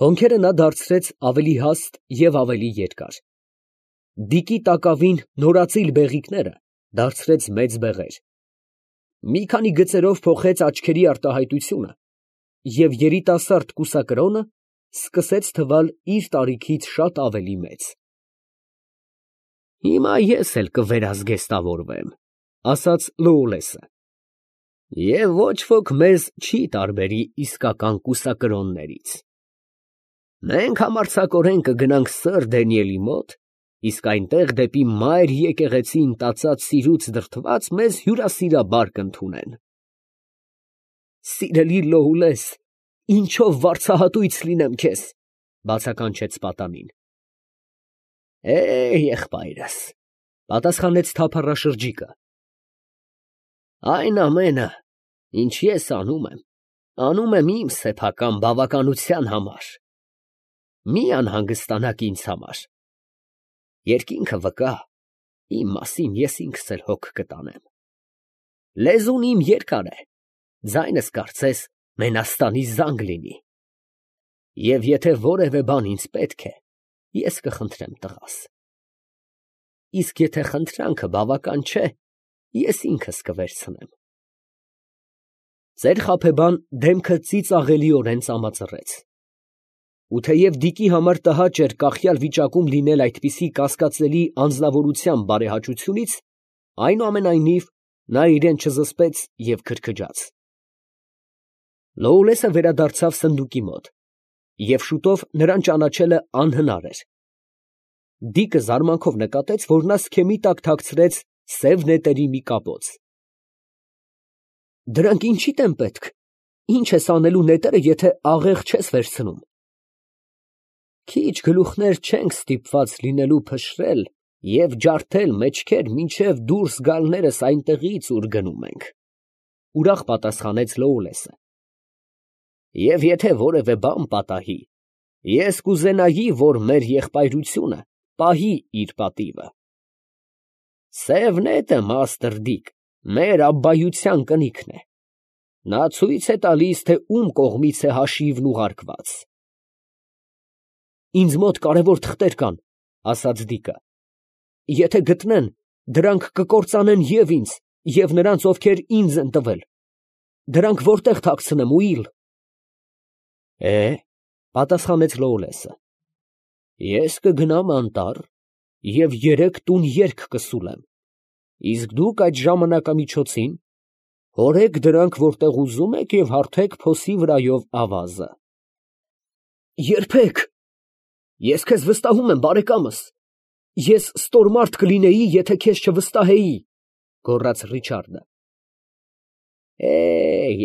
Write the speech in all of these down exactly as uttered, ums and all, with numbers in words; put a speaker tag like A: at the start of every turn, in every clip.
A: Հոնքերը նա դարձրեց ավելի հաստ և ավելի երկար, դիկի տակավին նորածիլ բեղիկները դարձրեց մեծ բեղեր, մի քանի գծերով փոխեց աչքերի արտահայտությունը և երիտասարդ կուսակրոնը սկսեց թվալ իր տարիքից շատ ավելի մեծ։ «Հիմա ես էլ կվերազգեստավորվեմ», ֊ ասաց Լոուլեսը, ֊ և ոչ ոք մեզ չի տարբերի իսկական կուսակրոններից։ Մենք համարձակորեն կգնանք սըր Դանիելի մոտ, իսկ այնտեղ դեպի մայր եկեղեցին տածած սիրուց դրդված մեզ հյուրասիրաբար կընդունեն։ «Սիրելի Լոուլես, ինչով վարձահատույց լինեմ քեզ, ֊ բացականչեց պատանին։ ֊ Է, եղբայրս, ֊ պատասխանեց թափառաշրջիկը, ֊ այն ամենը, ինչ ես անում եմ, անում եմ իմ սեփական բավականության համար. մի անհանգստանաք ինձ համար. երկինքը վկա, իմ մասին ես ինքս էլ հոգ կտանեմ. լեզուն իմ երկար է, ձայնս կարծես մենաստանի զանգ լինի, և եթե որևէ բան ինձ պետք է, ես կխնդրեմ տղաս. իսկ եթե խնդրանքը բավական չէ, ես ինքս կվերցնեմ։ Ծեր խաբեբան դեմքը ծիծաղելիորեն ծամածռեց, ու թեև Դիկի համար տհաճ էր կախյալ վիճակում լինել այդպիսի կասկածելի անձնավորության բարեհաճությունից, այնուամենայնիվ նա իրան չզսպեց և քրքջաց։ Լոուլեսը վերադարձավ սնդուկի մոտ, և շուտով նրան ճանաչելը անհնար էր։ Դիկը զարմանքով նկատեց, որ նա սքեմի տակ թաքցրեց սև նետերի մի կապոց։ «Դրանք ինչիդ են պետք, ի՞նչ ես անելու նետերը, եթե աղեղ չես վերցնում»։ «Քիչ գլուխներ չենք ստիպված լինելու փշրել և ջարդել մեջքեր, մինչև դուրս գալներս այնտեղից, ուր գնում ենք, ֊ ուրախ պատասխանեց Լոուլեսը, ֊ և եթե որևէ բան պատահի, ես կուզենայի, որ մեր եղբայրությունը պահի իր պատիվը։ Սև նետը, մաստր Դիկ, մեր աբբայության կնիքն է. նա ցույց է տալիս, թե ում կողմից է հաշիվն ուղարկված»։ «Ինձ մոտ կարևոր թղթեր կան, ֊ ասաց Դիկը, ֊ եթե գտնեն, դրանք կկործանեն և ինձ, և նրանց, ովքեր ինձ են տվել. դրանք որտե՞ղ թաքցնեմ, ուիլ։ ֊ Է, ֊ պատասխանեց Լոուլեսը, ֊ ես կգնամ անտառ և երեք տուն երգ կսուլեմ, իսկ դուք այդ ժամանակամիջոցին հորեք դրանք որտեղ ուզում եք և հարթեք փոսի վրայով ավազը։ ֊ Երբեք, ես քեզ վստահում եմ, բարեկամս, ես ստորմարդ կլինեի, եթե քեզ չվստահեի, ֊ գոռաց Ռիչարդը։ ֊ Է,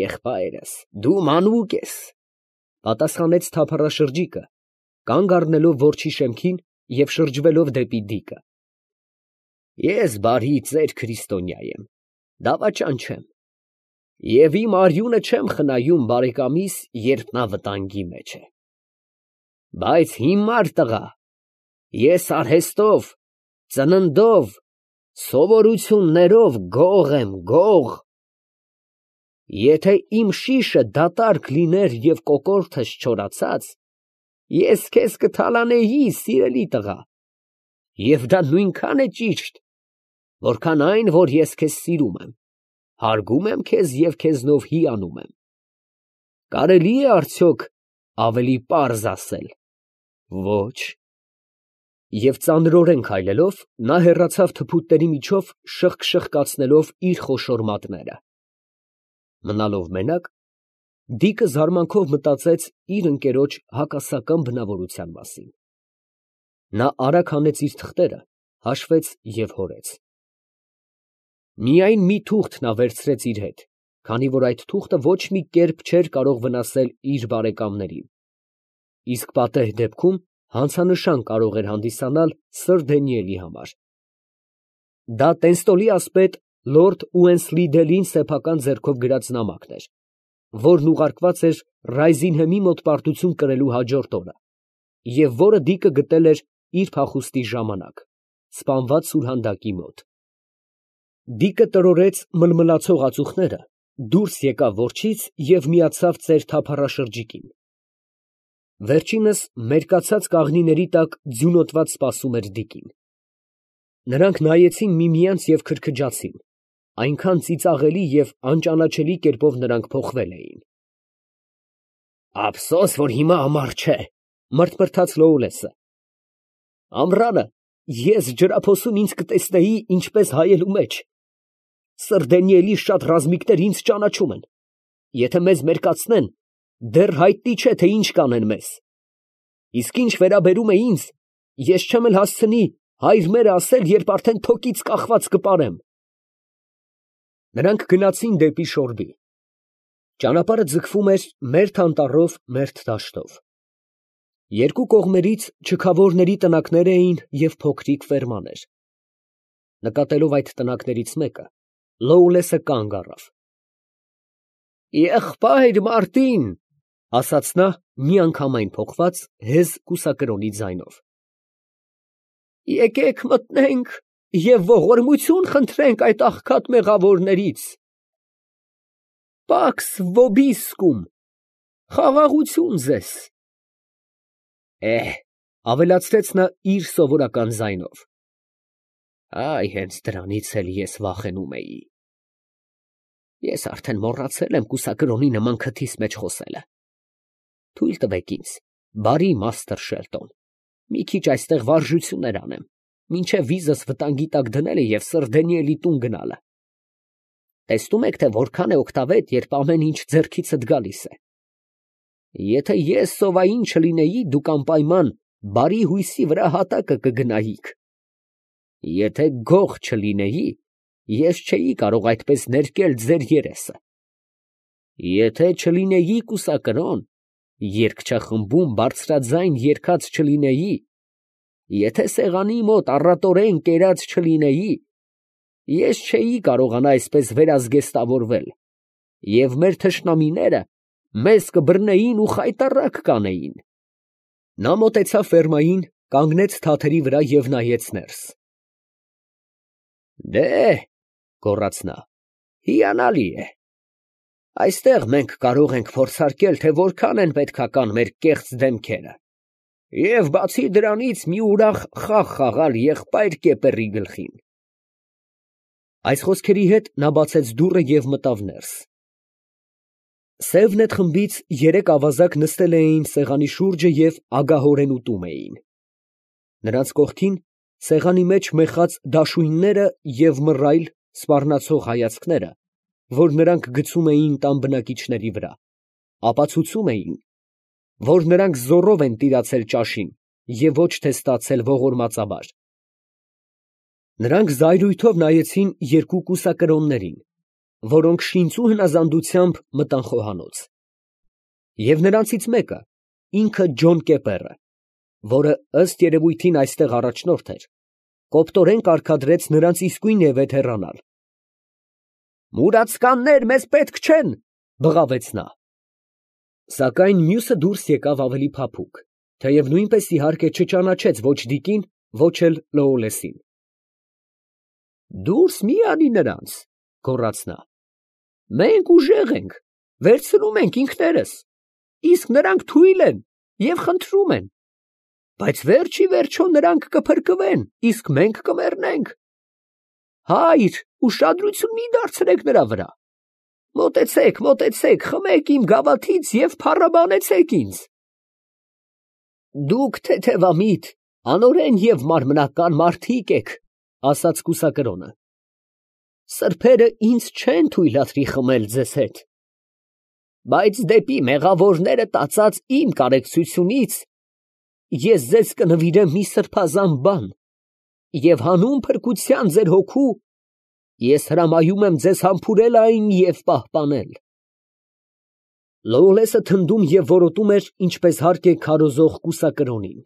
A: եղբայրս, դու մանուկ ես, ֊ պատասխանեց թափառաշրջիկը, կանգ առնելով որջի շեմքին և շրջվելով դեպի Դիկը։ ֊ Ես բարի ծեր քրիստոնյա եմ, դավաճան չեմ, և իմ արյունը չեմ խնայում բարեկամիս, երբ նա վտանգի մեջ է։ Բայց հիմար տղա, ես արհեստով, ծննդով, սովորություններով գող եմ, գող։ Եթե իմ շիշը դատարկ լիներ և կոկորդս չորացած, ես քեզ կթալանեի, սիրելի տղա, և դա նույնքան է ճիշտ, որքան այն, որ ես քեզ սիրում եմ, հարգում եմ քեզ և քեզնով հիանում եմ։ Կարելի է արդյոք ավելի պարզ ասել, ոչ։ Եվ ծանրորեն քայլելով, նա հեռացավ թփուտների միջով, շըխկ֊շըխկացնելով իր խոշոր մատները։ Մնալով մենակ, Դիկը զարմանքով մտածեց իր ընկերոջ հակասական բնավորության մասին։ Նա արագ հանեց իր թղթերը, հաշվեց և հորեց։ Միայն մի թուղթ նա վերցրեց իր հետ, քանի որ այդ թուղթը ոչ մի կերպ չէր կարող վնասել իր բարեկամներին, իսկ պատեհ դեպքում հանցանշան կարող էր հանդիսանալ սըր Դանիելի համար։ Դա Տենստոլի ասպետ լորդ Ուենսլիդելին սեփական ձեռքով գրած նամակն էր, որն ուղարկված էր Ռայզինհեմի մոտ պարտություն կրելու հաջորդ օրը, և որը Դիկը գտել էր իր փախուստի ժամանակ, սպանված սուրհանդակի մոտ։ Դիկը տրորեց մլմլացող ածուխները, դուրս եկավ որջից և միացավ ծեր թափառաշրջիկին։ Վերջինս մերկացած կաղնիների տակ ձյունոտված սպասում էր Դիկին։ Նրանք նայեցին միմյանց և քրքջացին, այնքան ծիծաղելի և անճանաչելի կերպով նրանք փոխվել էին։ «Ափսոս, որ հիմա ամառ չէ», մռթմռթաց Լոուլեսը։ «Ամռանը ես ջրափոսում ինձ կտեսնեի ինչպես հայելու մեջ։ Սրդենի էլի շատ ռազմիկներ ինձ ճանաչում են. եթե մեզ մերկացնեն, դեռ հայտնի չէ, թե ինչ կանեն մեզ։ Իսկ ինչ վերաբերում է ինձ, ես չեմ էլ հասցնի հայր մերը ասել, երբ արդեն թոկից կախված կպարեմ»։ Նրանք գնացին դեպի շորբի։ Ճանապարհը ձգվում էր մերթ անտառով, մերթ դաշտով։ Երկու կողմերից չքավորների տնակներ էին և փոքրիկ ֆերմաներ։ Նկատելով այդ տնակներից մեկը, Լոուլեսը կանգ առավ։ «Եղբայր Մարտին», ֊ ասաց նա միանգամայն փոխված հեզ կուսակրոնի ձայնով, եկեք մտնենք և ողորմություն խնդրենք այդ աղքատ մեղավորներից։ Պաքս վոբիսկում, խաղաղություն ձեզ։ Է, ֊ ավելացրեց նա իր սովորական ձայնով, այ հենց դրանից էլ ես վախենում էի։ Ես արդեն մոռացել եմ կուսակրոնի նման քթիս մեջ խոսելը։ Թույլ տվեք ինձ, բարի մաստր Շելտոն, մի քիչ այստեղ վարժություններ անեմ, մինչև վիզս վտանգի տակ դնելը և սրդենի էլի տուն գնալը։ Տեսնում եք, թե որքան է օգտավետ, երբ ամեն ինչ ձեռքիցդ գալիս է։ Եթե ես սովային չլինեի, դուք անպայման բարի հույսի վրա հատակը կգնայիք։ Եթե գող չլինեի, ես չէի կարող այդպես ներկել ձեր երեսը։ Եթե չլինեի կուսակրոն, երգչախմբում բարձրաձայն երգած չլինեի, եթե սեղանի մոտ առատորեն կերած չլինեի, ես չէի կարողանա այսպես վերազգեստավորվել, և մեր թշնամիները մեզ կբռնեին ու խայտառակ կանեին։ Նա մոտեցավ ֆերմային, կանգնեց թաթերի վրա և նայեց ներս։ Դե, ֊ գոռաց նա, ֊ հիանալի է։ Այստեղ մենք կարող ենք փորձարկել, թե որքան են պետքական մեր կեղծ դեմքերը, և բացի դրանից մի ուրախ խաղ խաղալ եղբայր կեպերի գլխին։ Այս խոսքերի հետ նա բացեց դուռը և մտավ ներս։ Սևնետ խմբից երեք ավազակ նստել էին սեղանի շուրջը և ագահորեն ուտում էին։ Նրանց կողքին սեղանի մեջ մեխած դաշույնները և մռայլ, սպառնացող հայացքները, որ նրանք գցում էին տան բնակիչների վրա, ապացուցում էին, որ նրանք զոռով են տիրացել ճաշին և ոչ թե ստացել ողորմածաբար։ Նրանք զայրույթով նայեցին երկու կուսակրոններին, որոնք շինծու հնազանդությամբ մտան խոհանոց։ Եվ նրանցից մեկը, ինքը Ջոն Կեպերը, որը ըստ երևույթին այստեղ առաջնորդ էր, կոպտորեն կարգադրեց նրանց իսկույն ևեթ հեռանալ։ «Մուրացկաններ մեզ պետք չեն, ֊ բղավեց նա։ Սակայն մյուսը դուրս եկավ ավելի փափուկ, թեև նույնպես իհարկե չճանաչեց ոչ Դիկին, ոչ էլ Լոուլեսին։ Դուրս մի անի նրանց, ֊ գոռաց նա։ Մենք ուժեղ ենք, վերցնում ենք ինքներս, իսկ նրանք թույլ են և խնդրում են, բայց վերջ ի վերջո նրանք կփրկվեն, իսկ մենք կմեռնենք։ Հայր, ուշադրություն մի դարձրեք նրա վրա։ Մոտեցեք, մոտեցեք, խմեք իմ գավաթից և փառաբանեցեք ինձ։ Դուք թեթևամիտ, անօրեն և մարմնական մարդիկ եք, ֊ ասաց կուսակրոնը։ Սրբերը ինձ չեն թույլատրի խմել ձեզ հետ, բայց դեպի մեղավորները տածած իմ կարեկցությունից ես ձեզ կնվիրեմ մի սրբազան բան, և հանուն փրկության ձեր հոգու ես հրամայում եմ ձեզ համբուրել այն և պահպանել։ Լոուլեսը թնդում և որոտում էր, ինչպես հարկ է քարոզող կուսակրոնին,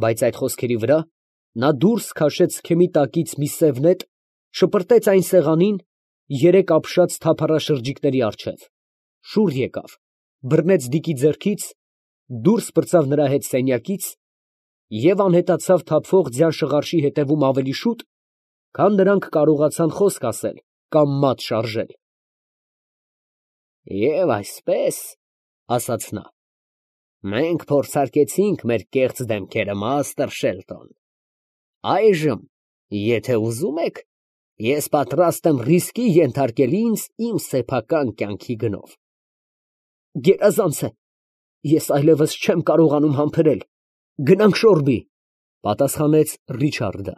A: բայց այդ խոսքերի վրա նա դուրս քաշեց քեմի տակից մի սև նետ, շպրտեց այն սեղանին, երեք ապշած թափառաշրջիկների առջև, շուռ եկավ, բռնեց Դիկի ձեռքից, դուրս պրծավ նրա հետ սենյակից և անհետացավ թափվող ձյան շղարշի ետևում ավելի շուտ, քան նրանք կարողացան խոսք ասել կամ մատ շարժել։ Եվ այսպես, ֊ ասաց նա, Մենք փորձարկեցինք մեր կեղծ դեմքերը, Մաստր Շելտոն։ Այժմ, եթե ուզում եք, ես պատրաստ եմ ռիսկի ենթարկել ինձ իմ սեփական կյանքի գնով։ Գերազանց է, ես այլևս չեմ կարողանում համբերել, գնանք շոռբի, պատասխանեց Ռիչարդը։